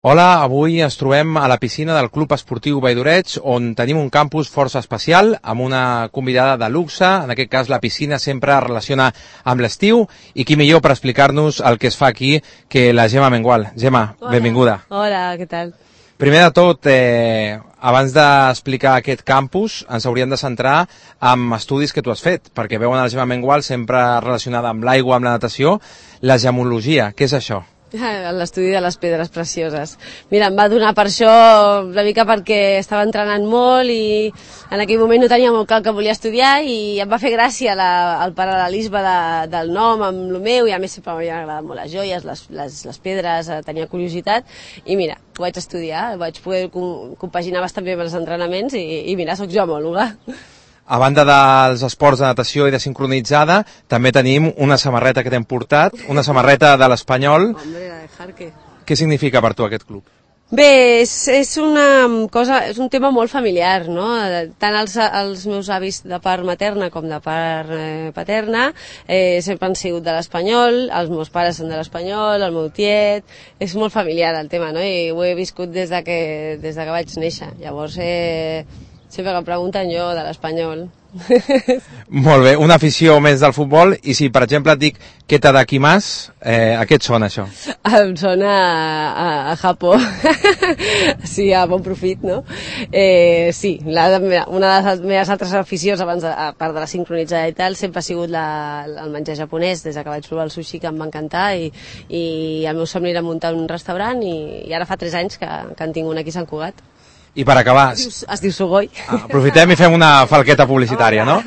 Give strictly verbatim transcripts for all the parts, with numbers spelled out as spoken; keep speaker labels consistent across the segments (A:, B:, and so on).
A: Hola, avui ens trobem a la piscina del Club Esportiu Valldoreig, on tenim un campus força especial, amb una convidada de luxe. En aquest cas, la piscina sempre es relaciona amb l'estiu, i qui millor per explicar-nos el que es fa aquí que la Gemma Mengual. Gemma,
B: Hola.
A: Benvinguda.
B: Hola, què tal?
A: Primer de tot, eh, abans d'explicar aquest campus, ens hauríem de centrar en estudis que tu has fet, perquè veuen a la Gemma Mengual sempre relacionada amb l'aigua, amb la natació. La gemologia, què és això?
B: L'estudi de les pedres precioses. Mira, em va donar per això una mica perquè estava entrenant molt i en aquell moment no tenia molt clar el que volia estudiar i em va fer gràcia la, el paral·lelisme de, del nom amb el meu, i a més sempre m'havien agradat molt les joies, les, les, les pedres, tenia curiositat i mira, ho vaig estudiar, vaig poder compaginar bastant bé amb els entrenaments i, i mira, soc geòloga.
A: A banda dels esports de natació i de sincronitzada, també tenim una samarreta que t'hem portat, una samarreta de l'Espanyol.
B: Hombre, la de Jarque.
A: Què significa per tu aquest club?
B: Bé, és, és una cosa, és un tema molt familiar, no? Tant els, els meus avis de part materna com de part eh, paterna eh, sempre han sigut de l'Espanyol, els meus pares són de l'Espanyol, el meu tiet, és molt familiar el tema, no? I ho he viscut des de que, des de que vaig néixer. Llavors, eh, sempre que em pregunten jo de l'Espanyol.
A: Molt bé, una afició més del futbol, i si per exemple et dic què t'ha d'aquí més, eh, a què et sona això?
B: Em sona a, a, a Japó, sí, a bon profit, no? Eh, sí, la, una de les meves altres aficions, abans de, a part de la sincronitzada i tal, sempre ha sigut la, el menjar japonès, des de que vaig provar el sushi, que em va encantar, i, i el meu somni era muntar un restaurant, i, i ara fa tres anys que, que en tinc un aquí a Sant Cugat.
A: I per acabar...
B: Es diu, es diu Sugoi.
A: Ah, aprofitem i fem una falqueta publicitària, no?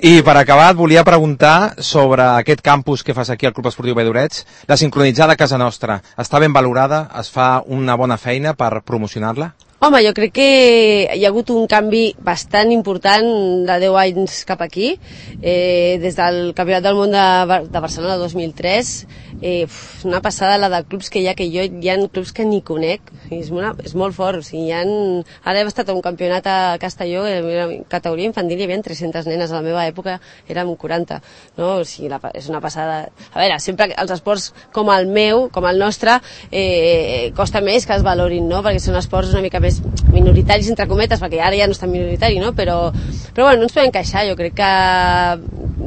A: I per acabar et volia preguntar sobre aquest campus que fas aquí al Club Esportiu Valldoreig, la sincronitzada a casa nostra. Està ben valorada? Es fa una bona feina per promocionar-la?
B: Home, jo crec que hi ha hagut un canvi bastant important de deu anys cap aquí. Eh, des del Campionat del Món de, de Barcelona dos mil tres, eh, una passada la de clubs que hi ha, que jo hi ha clubs que ni conec, és, una, és molt fort. O sigui, hi ha, ara hem estat a un campionat a Castelló, en categoria infantil hi havia tres-centes nenes, a la meva època érem quaranta, no? O sigui, la, és una passada. A veure, sempre els esports com el meu, com el nostre, eh, costa més que es valorin, no? Perquè són esports una mica més minoritaris, entre cometes, perquè ara ja no és tan minoritari, no? Però, però bueno, no ens podem queixar. Jo crec que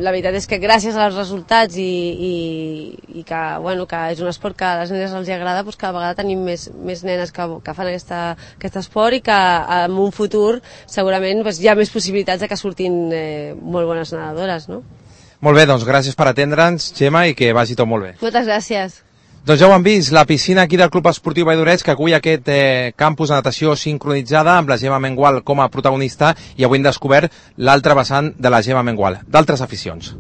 B: la veritat és que gràcies als resultats i, i, i que, bueno, que és un esport que a les nenes els agrada, doncs cada vegada tenim més, més nenes que, que fan aquesta, aquest esport, i que en un futur segurament doncs, hi ha més possibilitats de que surtin eh, molt bones nedadores, no?
A: Molt bé, doncs gràcies per atendre'ns, Gemma, i que vagi tot molt bé.
B: Moltes gràcies.
A: Doncs ja ho han vist, la piscina aquí del Club Esportiu Valldoreig, que acull aquest eh, campus de natació sincronitzada amb la Gemma Mengual com a protagonista, i avui hem descobert l'altre vessant de la Gemma Mengual, d'altres aficions.